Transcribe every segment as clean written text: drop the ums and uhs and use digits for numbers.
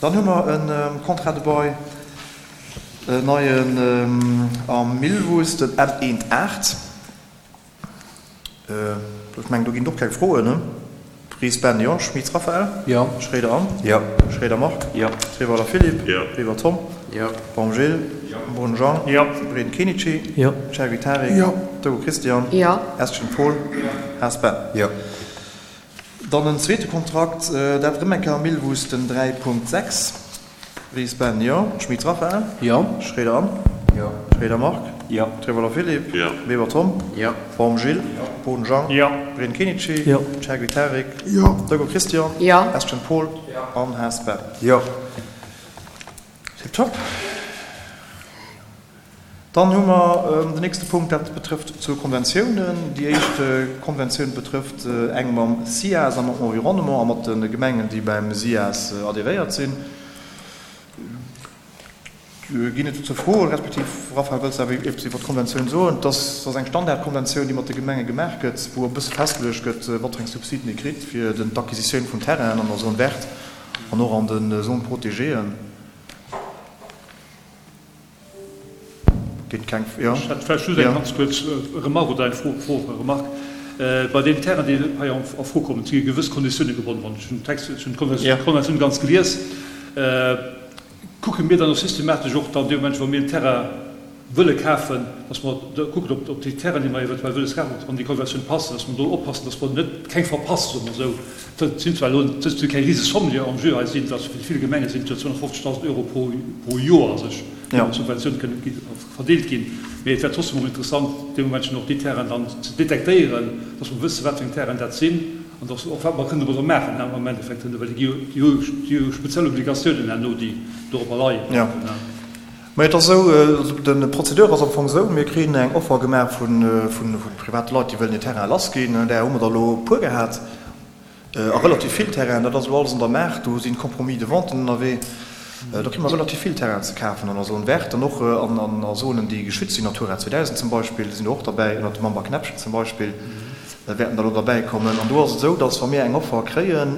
Dann hu mer e Contrat de bail, en neien am Millwuess, den M 1 8. Ech mengen, do ginn et och keng Froen, ne? Ries Ben, Jo. Schmitz Raphaël? Jo. Schroeder Anne? Jo. Schroeder Marc? Jo. Treweiler Philippe? Jo. Weber Tom? Jo. Baum Gilles? Jo. Brun Jean? Jo. Breden Kenichi? Jo. Chergui Tarik? Jo. Dogo Christian? Jo. Estgen Paul? Jo. Haas Ben? Jo. Dann en zweete Kontrakt, dat erëm eng Kéier am Millwuss, den 3.6. Ries Ben, Jo. Schmitz Raphaël? Jo. Schroeder Anne? Jo. Schroeder Marc? Jo. Treweiler Philippe? Jo. Weber Tom? Jo. Baum Gilles? Jo. Boden Jean? Jo. Breden Kenichi? Jo. Chergui Tarik? Jo. Dogo Christian? Jo. Estgen Paul? Jo. An Haas Ben? Jo. Tiptop. Dann hu mer den nächste Punkt, dat betrëfft zwou Konventiounen. Déi éischt Konventioun betrëfft eng mam SIAS a mam Environnement a mat de Gemengen, déi beim SIAS adhéréiert sinn. Ginn et dozou Froen, respektiv, Raphaël, wëlls de awer eppes iwwer d'Konventioun soen? Et ass eng Standardkonventioun, déi mat de Gemenge gemaach gëtt, wou e bësse festgeluecht gëtt, wat fir eng Subsiden ee kritt fir d'Acquisitioun vun Terrainen an der Zone verte an och an de Zones protégéeën. Geet keng, jo. Ech hätt vläicht just eng ganz kuerz Remark oder eng Fro, Fro, Remark. Bei deenen Terrainen, déi hei a Fro kommen, si gewëss Konditioune gebonnen. Wann ech hunn den Text, ech hunn d'Konventioun ganz gelies. Kucke mir dann och systematesch och dann dee Moment, wa mir en Terrain wëlle kafen, dass mer da kucken, ob, ob déi Terrainen, déi mer eventuell wëlles kafen, ob se an déi Konventioun passen, dass mer do oppassen, dass mer net keng verpassen, soe mer esou. Dat sinn zwar elo dat si keng Risesomme, déi en jeu hei sinn, dat fir déi vill Gemenge sinn et jo 250.000 Euro pro, pro Joer a sech, déi an Subventioun kënnen gi verdeelt ginn. Mee et wär trotzdem och interessant, dee Momentchen och déi Terrainen dann ze detektéieren, dass mer wëssen, wat fir eng Terrainen dat sinn an dass och wat mer kënnen domadder maachen am Endeffekt, well déi gi jo, déi hu déi hu speziell Obligatiounen herno, déi dorobber leien. Jo. Mä et ass esou, de Procédure ass am Fong esou, mir kréien eng Offer gemaach vu private Leit, déi wëllen hir Terraine lassginn. Där hu mer der elo e puer gehat, a relativ vill Terrainen. Dat ass elo alles an der Maach, do si Compromis de venten ënnerwee. Do kritt mer relativ vill Terrainen ze kafen an der Zone verte an och an Zonen, déi geschützt sinn, Natura 2000 zum Beispill sinn do och derbäi, ënnert dem Mamber Knäppchen zum Beispill wäerten der elo derbäikommen. An do ass et esou, datt wa mir eng Offer kréien,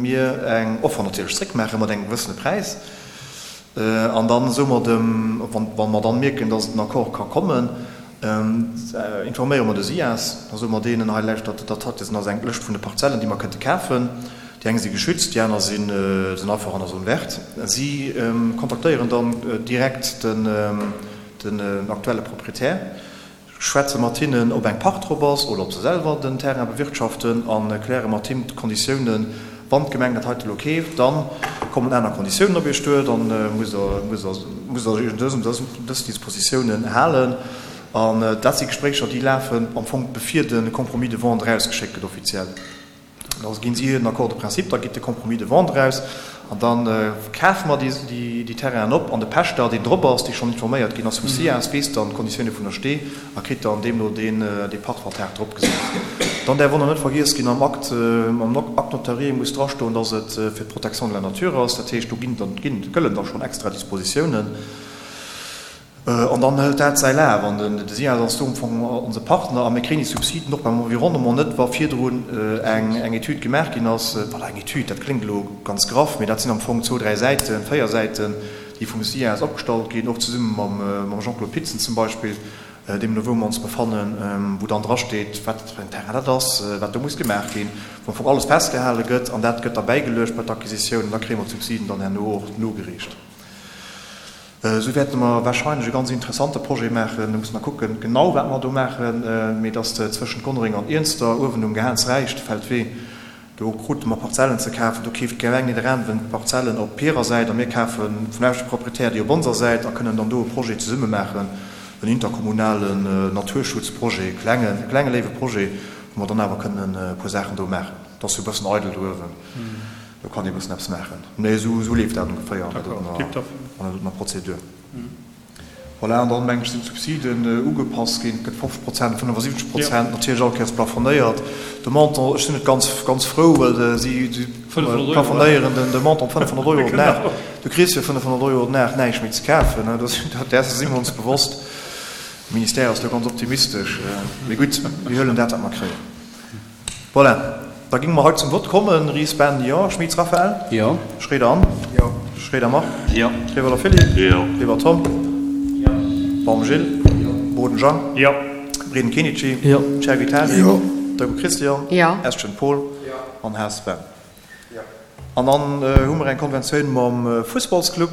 mir eng Offer natierlech zréckmaache mat engem gewëssene Präis. An dann soe mer dem, wa mer dann mierken, dass et en Accord ka kommen, informéiere mer de SIAS. Da soe mer deenen, hei lauschtert, dat heite ass eng Lëscht vun de Parzellen, déi mer kënnte kafen. Déi eng si geschützt, déi aner sinn einfach an der Zone verte. Si kontaktéieren dann direkt den aktuelle Proprietär. Schwätze mat hinnen, ob eng Pacht drop ass oder ob se selwer den Terrain bewirtschaften a kläre mat him d'Konditiounen. Wann d'Gemeng dat heite elo keeft, da kommen aner Konditiounen op Iech duer, da musst Der musst Der Iech un dës dës Dispositiounen halen. An dat si Gespréicher, déi lafen am Fong bevir de Compromis de vente erausgeschéckt gëtt offiziell. Da ginn si en Accord de principe, da geet de Compromis de vente eraus an da kafe mer déi Terrainen op an de Pächter, deen drop ass, dee schonn informéiert ginn ass vum SIAS, weess dann d'Konditioune vun der Stee a kritt dann deemno deen dee Pachtvertrag drop gesat. Dann däerf och nach net vergiess ginn, am Acte, am Acte notarié muss drastoen, datt et fir d'Protection de la nature ass. Dat heescht, do ginn dann, gëllen da schonn extra Dispositiounen. An dann hëlt dat säi Laf. An de SIAS ass do am Fong onse Partner. A mir kréien déi Subsiden och beim Environnement net, wa virdrun eng Etüd gemaach ginn ass. Voilà, eng Etüd, dat kléngt elo ganz graff, mee dat sinn am Fong zwou, dräi Säiten, véier Säiten, déi vum SIAS opgestallt ginn, och zesumme mam Jean-Claude Pitzen zum Beispill, deemno wou mer ons befannen, wou dann drasteet, wat fir en Terrain dat ass, wat do muss gemaach ginn, wou am Fong alles festgehale gëtt. An dat gëtt da bäigeluecht bei d'Acquisitioun an da kréie mer d'Subsiden dann herno och nogereecht. Esou wäerte mer wahrscheinlech e ganz interessante Projet maachen. Do musse mer kucken, genau wat mer do maachen. Mee dass de zwëschent Gonnereng an Iernster uewen um Gehaansräicht Feldwee, do krute mer Parzellen ze kafen. Do keeft d'Gemeng Nidderaanwen d'Parzellen op hirer Säit a mir kafe vum leschte Proprietär déi op onser Säit a kënnen dann do e Projet zesumme maachen, en interkommunalen Naturschutzprojet, e klengen, e klenge léiwe Projet, wou mer dann awer kënnen e puer Saachen do maachen. Et ass jo e bëssen eidel do uewen. Do kann ee bëssen eppes maachen. Mee esou leeft dat ongeféier an der dotener Prozedur. Voilà, an dann, meng ech, sinn d'Subsiden ugepasst ginn. Et gëtt 50 Prozent, 75 Prozent, natierlech all Kéiers plafonéiert. De Montant, ech sinn net ganz, ganz frou, well si plafonéieren de Montant op 500 Euro den Dag. Du kriss fir 500 Euro den Dag näischt méi ze kafen. Däers si mer ons bewosst. De Ministère ass do ganz optimistesch. Mee gutt, mir huelen dat, wat mer kréien. Voilà. Da géinge mer hei zum Vott kommen. Ries Ben, Jo. Schmitz Raphaël? Jo. Schroeder Anne? Jo. Schroeder Marc? Jo. Trewöller Philippe? Jo. Weber Tom? Jo. Baum Gilles? Jo. Boden Jean? Jo. Breden Kenichi? Jo. Cherry Tali? Jo. Deugo Christian? Jo. Estgen Paul? Jo. An Haas Sven? Jo. An dann hu mer eng Konventioun mam Fussballsclub.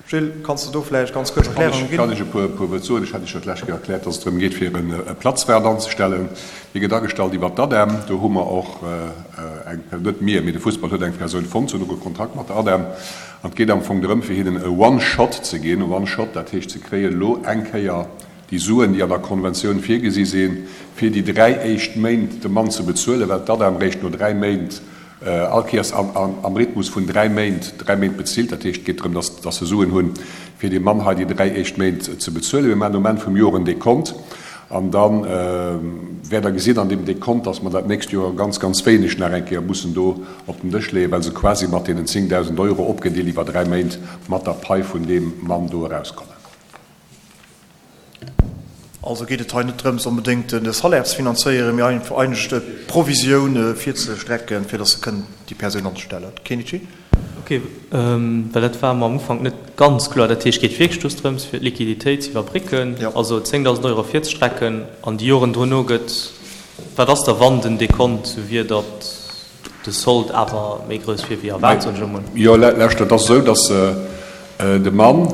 Gilles, kanns de do vläicht ganz kuerz Erklärungen ginn? Kann ech e puer Wuert soen. Ech hat Iech jo d'lescht Kéier erkläert, dass et drëm geet, fir e Platzwaart anzestellen. Dee gëtt agestallt iwwert d'ADEM. Do hu mer och eng, net mir, mee de Fussball huet eng Persoun fonnt. Se hunn och e Kontrakt mat der ADEM. An et geet am Fong drëm, fir hinnen e One-Shot ze ginn. One-Shot, dat heescht, se kréien elo eng Kéier déi Suen, déi an der Konventioun virgesi sinn, fir déi dräi éischt Méint dem Mann ze bezuelen, well d'ADEM réischt no dräi Méint all Kéiers am Rhythmus vun dräi Méint, dräi Méint bezilt. Dat heescht, et geet drëm, dass dass se Suen hunn, fir deem Mann hei déi dräi éischt Méint ze bezuelen. Mir maachen um Enn vum Joer en Dekont an da wäert Der gesinn an deem Dekont, dass mer dat nächst Joer ganz, ganz wéineg nach eng Kéier mussen do op den Dësch leeën, well se quasi mat deenen 10.000 Euro opgedeelt iwwer dräi Méint mat der Pai vun deem Mann do erauskommen. Also geet et hei net drëms, onbedéngt de Salaire ze finanzéieren, mee eigentlech d'Provisioun virzestrecken, fir datt se kënnen déi Persoun anstellen. Kenichi? Ok, well dat war mer am Ufank net ganz kloer. Dat heescht, et geet wierklech just drëms, fir d'Liquiditéit ze iwwerbrécken, also 10.000 Euro virzestrecken an déi Joren dono gëtt, wat ass da, wann den Dekont esou wier, datt de Sold awer méi grouss wier wéi erwaart, soen ech emol. Jo, lauschtert, et ass esou, datt de Mann,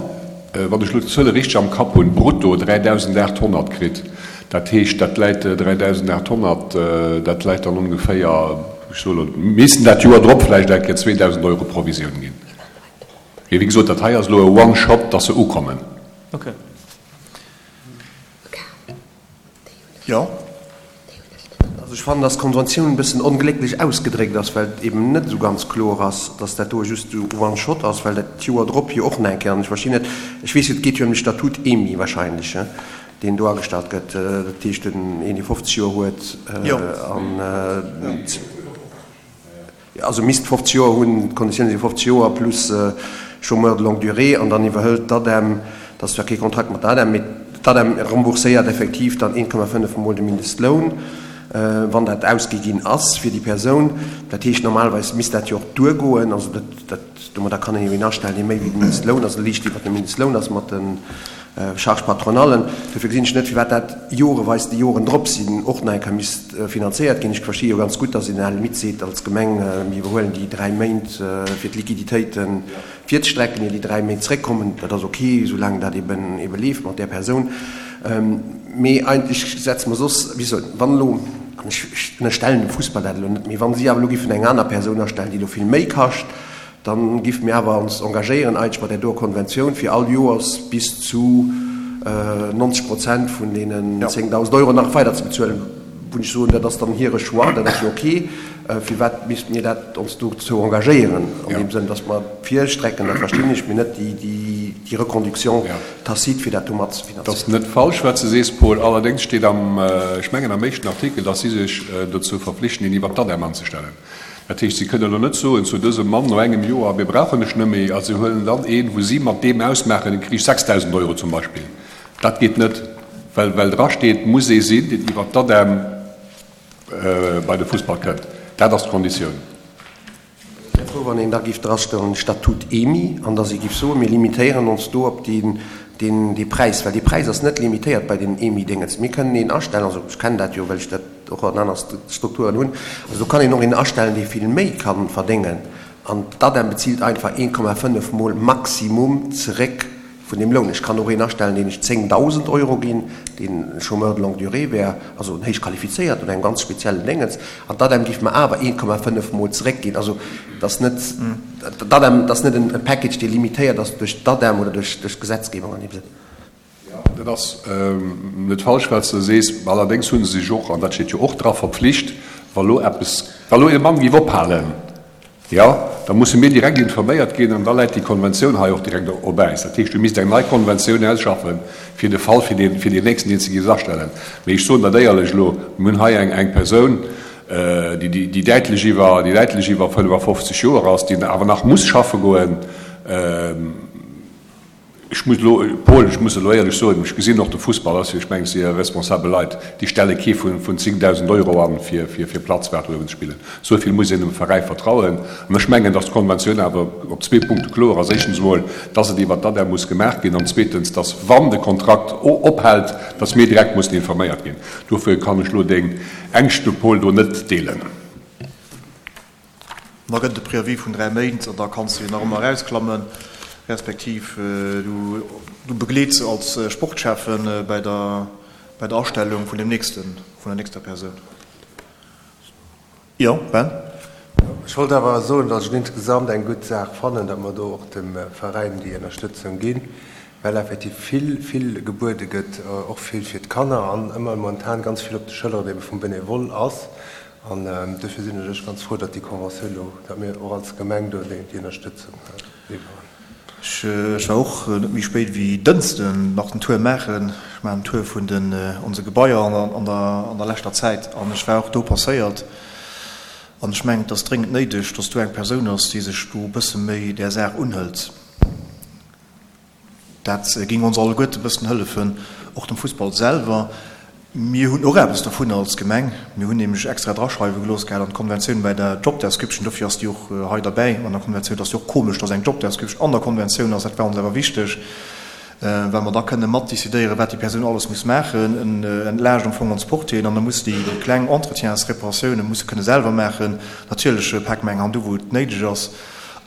wann ech elo d'Zuele richteg am Kapp hunn, brutto 3.800 kritt. Dat heescht, dat läit 3.800, dat läit dann ongeféier, ech soe elo, missten dat Joer drop vläicht eng Kéier 2.000 Euro Provisioun ginn. Mee wéi gesot, dat hei ass elo e One-Shot, datt se ukommen. Okay. Jo. Also ech fannen, dass d'Konventioun e bëssen onglécklech ausgedréckt ass, well et eben net esou ganz kloer ass, dass dat do just esou one shot ass, well dat d'Joer drop jo och nach eng Kéier, an ech verstinn net, ech weess jo, et geet jo ëm de Statut EMI wahrscheinlech, he, deen do agestallt gëtt, dat heescht en, een dee 50 Joer huet an. Also misst 50 Joer hunn, d'Konditioune si 50 Joer plus Chômeur de longue durée an dann iwwerhëlt d'ADEM, dat ass zwar kee Kontrakt mat der ADEM, mee d'ADEM rembourséiert effektiv dann 1,5 mol de Mindestloun, wann dat ausgi ginn ass fir déi Persoun. Dat heescht, normalerweis misst dat jo och duergoen. Also dat, dat, domadder kann een jo een astellen, dee méi wéi de Mindestloun ass, liicht iwwert dem Mindestloun ass mat de Charges patronallen. Dofir gesinn ech net, firwat dat joreweis déi Joren drop sinn och nach eng Kéier misst finanzéiert ginn. Ech versti jo ganz gutt, datt een à la limite seet als Gemeng, mir iwwerhuelen déi dräi Méint fir d'Liquiditéite virzestrecken, ier déi dräi Méint zréckkommen. Dat ass ok, soulaang dat eben ebe leeft mat där Persoun. Mee eigentlech setze mer soss, wéi soll, wann elo, an ech ënnerstellen dem Fussball dat elo net, mee wa si awer elo géifen eng aner Persoun astellen, déi elo vill méi kascht, Dann giff mir awer ons engagéieren eigentlech mat där doer Konventioun fir all Joers bis zu 90 Prozent vun deenen 10.000 Euro nach weider ze bezuelen, wou ech soen, dat ass dann hire Choix, dat ass jo ok. Firwat misste mir dat ons dozou engagéieren an deem Sënn, dass mer virstrecken, dat verstinn ech, mee net déi Reconduction tacite fir dat do mat ze finanzéieren. Dat ass net falsch wat s de sees, Paul. Allerdéngs steet am, ech mengen am éischten Artikel, dass si sech dozou verpflichten, een iwwert d'ADEM anzestellen. Dat heescht, si kënnen elo net soen zu dësem Mann no engem Joer, mir brauchen dech net méi, a se huelen dann een, wou si mat deem ausmaachen, dee kricht 6.000 Euro zum Beispill. Dat geet net, well well drasteet, muss ee sinn, deen iwwert d'ADEM bei de Fussball kënnt. Dat ass d'Konditioun. Ech wär frou, wann een da géif drastoen, Statut EMI, an dass ee géif soen, mir limitéieren ons do op deen, deen, dee Präis, well dee Präis ass net limitéiert bei den EMI-Déngens. Mir kënnen een astellen, also ech kennen dat jo, well ech dat och an aner Strukturen hunn. Also do kann een och een astellen, dee vill méi ka verdéngen an d'ADEM bezilt einfach 1,5 mol Maximum zeréck vun deem Loun. Ech kann och een astellen, deen ech 10.000 Euro ginn, deen Chômeur de longue durée wär, also en héich qualifizéiert oder engem ganz speziellen Déngens, an d'ADEM géif mer awer 1,5 mol zeréckginn. Also et ass net, d'ADEM, et ass net e Package, dee limitéiert ass duerch d'ADEM oder duerch d'Gesetzgebung an deem Sënn. Jo, dat ass net falsch, wat s de sees. Allerdéngs hu se sech och, an dat steet jo och dra, verpflicht, wa lo eppes, wa lo ee Mann géif ophalen, jo, da musse mir direkt informéiert ginn an da läit déi Konventioun hei och direkt op Äis. Dat heescht, du misst eng nei Konventioun ausschaffen, fir de Fall, fir deen, fir deen nächsten, deen s de géifs astellen. Mee ech soen dat éierlech elo, mir hunn hei eng, eng Persoun, déi, déi däitlech iwwer, déi däitlech iwwer 55 Joer ass, déi awer nach muss schaffe goen. Ech muss elo, Paul, ech muss elo éierlech soen, ech gesinn och de Fussball ass jo, ech mengen, et si jo responsabel Leit, déi stelle kee vun 10.000 Euro an, fir Platzwart uewen ze spillen. Esou vill muss een dem Veräi vertrauen. An ech mengen, datt d'Konventioun awer op zwee Punkte kloer ass. Éischtens emol, datt et iwwert d'ADEM muss gemaach ginn an zweetens, datt wann de Kontrakt ophält, datt mir direkt mussen informéiert ginn. Dofir kann ech elo deng Ängschte, Paul, do net deelen. Da gëtt et e Préavis vun 3 Méint an da kanns de jo nach ëmmer erausklammen, respektiv du begleets se als Sportschäffen bei der bei der Astellung vun dem nächsten, vun der nächster Persoun. Jo, Ben? Ech wollt awer soen, datt ech et insgesamt eng gutt Saach fannen, datt mer do och dem Veräin déi Ënnerstëtzung ginn, well effektiv vill, vill gebuede gëtt, och vill fir d'Kanner an ëmmer momentan ganz vill op de Schëlleren ebe vum Benevole ass. An duerfir sinn ech ganz frou, datt déi Conventioun do, datt mir och als Gemeng do déi Ënnerstëtzung liwweren. Ech war och net méi spéit wéi Dënschden nach den Tour maachen. Ech maachen den Tour vun den onse Gebaier an der leschter Zäit an ech war och do passéiert. An ech mengen, et ass dréngend néideg, datt do eng Persoun ass, déi sech do e bësse méi där Saach unhëlt. Dat géing ons alleguerte e bëssen hëllefen, och dem Fussball selwer. Mir hunn och eppes dovunner als Gemeng. Mir hunn nämlech extra draschreiwe gelooss gehat an d'Konventioun bei der Job Description, dofir ass déi och hei derbäi an der Konventioun. Et ass jo och komesch, dass eng Job Description an der Konventioun ass. Dat war ons awer wichteg, well mer da kënne mat decidéieren, wat déi Persoun alles muss maachen. En entlaascht am Fong ons Portieren an da muss déi kleng Entretiensreparatiounen musse kënne selwer maachen. Natierlech pake mer eng Hand u wou et néideg ass.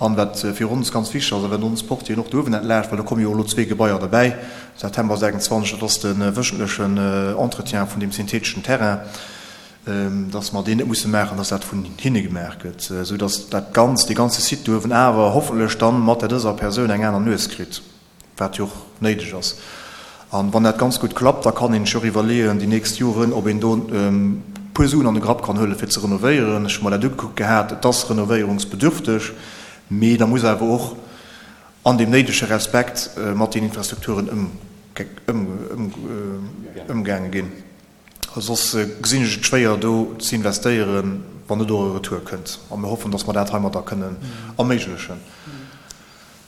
An wat fir ons ganz wichteg ass, a wat ons Portieren och do uewen entlaascht, well do komme jo elo zwee Gebaier derbäi, September 26, dat ass de wëchentlechen Entretien vun deem syntheteschen Terrain, dass mer deen net musse maachen, dass dat vun hinne gemaach gëtt, esou dass dat Ganzt, dee ganze Site do uewen awer hoffentlech dann mat der dëser Persoun eng aner Nues kritt. Wat jo och néideg ass. An wann dat ganz gutt klappt, da kann een sech och iwwerleeën déi nächst Joren, ob een do e puer Suen an de Grapp kann huelen, fir ze renovéieren. Ech hu mer dat ugekuckt gehat, et ass renovéierungsbedürfteg, mee da muss awer och an deem néidege Respekt mat den Infrastrukturen ëmgaange ginn. Soss gesinn ech et schwéier, do ze investéieren, wann net och e Retour kënnt. A mir hoffen, datt mer dat heimadder kënnen erméiglechen.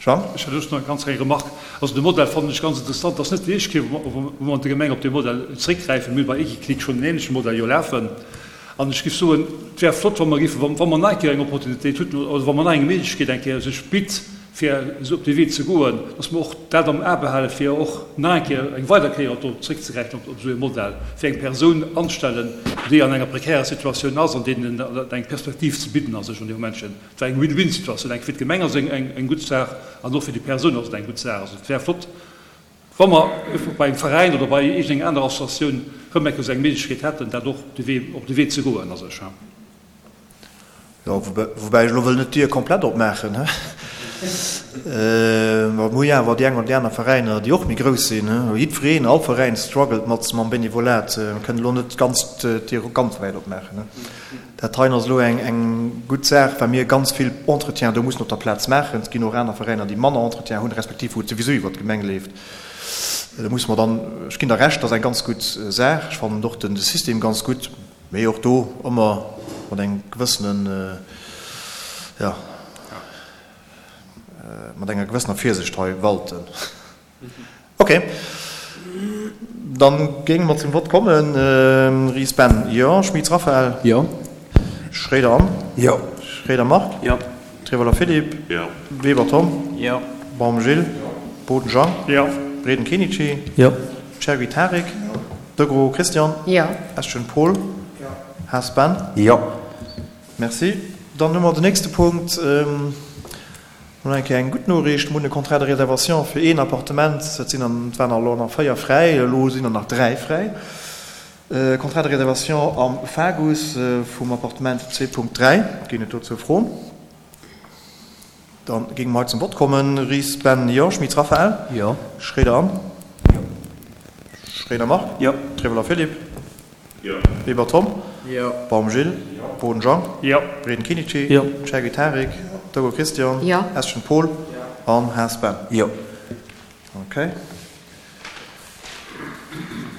Jean? Ech hätt just nach eng ganz kleng Remarque. Also de Modell fannen ech ganz interessant. Et ass net déi éischt Kéier, wou mer an der Gemeng op dee Modell zréckgräifen. Mir hu bei Equiclic schonn en ähnleche Modell jo lafen. An ech géif soen, et wär flott, wa mer géifen, wa mer nach eng Kéier eng Opportunitéit hunn oder wa mer nach eng Méiglechkeet eng Kéier sech bitt, fir esou op dee Wee ze goen, dass mer och dat am A behalen, fir och nach eng Kéier, eng weider Kéier do zréckzegräifen op esou e Modell, fir eng Persoun anstellen, déi an enger prekärer Situatioun ass an deenen eng Perspektiv ze bidden a sech an deem Momentchen. Et war eng Win-win-Situatioun, eng fir d'Gemeng ass eng eng gutt Saach an och fir déi Persoun ass et eng gutt Saach. Also et wär flott, wa mer bei engem Veräin oder bei iergendenger anerer Associatioun rëm eng Kéier esou eng Méiglechkeet hätten, dat och de Wee, op de Wee ze goen a sech. Jo, woubäi ech elo wëll net d'Dier komplett opmaachen, he. Mer hu jo awer déi eng oder déi aner Veräiner, déi och méi grouss sinn, he. Jiddwereen, all Veräin struggelt mat mam Benevolat. Mer kënnen elo net ganz d'Dier ganz wäit opmaachen, he. Dat heien ass elo eng gutt Saach, well mir ganz vill Entretien do mussen op der Plaz maachen. Et ginn och aner Veräiner, déi manner Entretien hunn, respektiv wou et souwisou iwwert d'Gemeng leeft. Do musse mer dann, ech ginn der Recht, dat ass eng ganz gutt Saach. Ech fannen och de System ganz gutt, mee och do ëmmer mat engem gewëssenen, jo, mat enger gewëssener Virsicht hei walten. Ok, dann géinge mer zum Vott kommen. Ries Ben, jo. Schmitz Raphaël? Jo. Schroeder Anne? Jo. Schroeder Marc? Jo. Trevoller Philippe? Jo. Weber Tom? Jo. Baum Gilles? Jo. Boden Jean? Jo. Breden Kenichi? Jo. Cherry Tarik? Jo. Degros Christian? Jo. Eschen Paul? Jo. Haas Ben? Jo. Merci. Dann hu mer den nächste Punkt. Mol eng Kéier eng gutt Noriicht, Mir hunn e Contrat de réservation fir een Appartement. Et sinn an, et waren elo nach 4 fräi, elo sinn der nach 3 fräi. Contrat de réservation am Fagus vum Appartement 2.3. Ginn et dozou Froen? Da géinge mer hei zum Vott kommen. Ries Ben, Jo. Schmitz Raphaël? Jo. Schroeder Anne? Jo. Schroeder Marc? Jo. Trevoller Philippe? Jo. Weber Tom. Jo. Baum Gilles. Jo. Boden Jean. Jo. Breden Kinichi. Jo. Chergui Tarik. Jo. Togo Christian. Jo. Eschen Paul. Jo. An Haas Ben. Jo. Ok.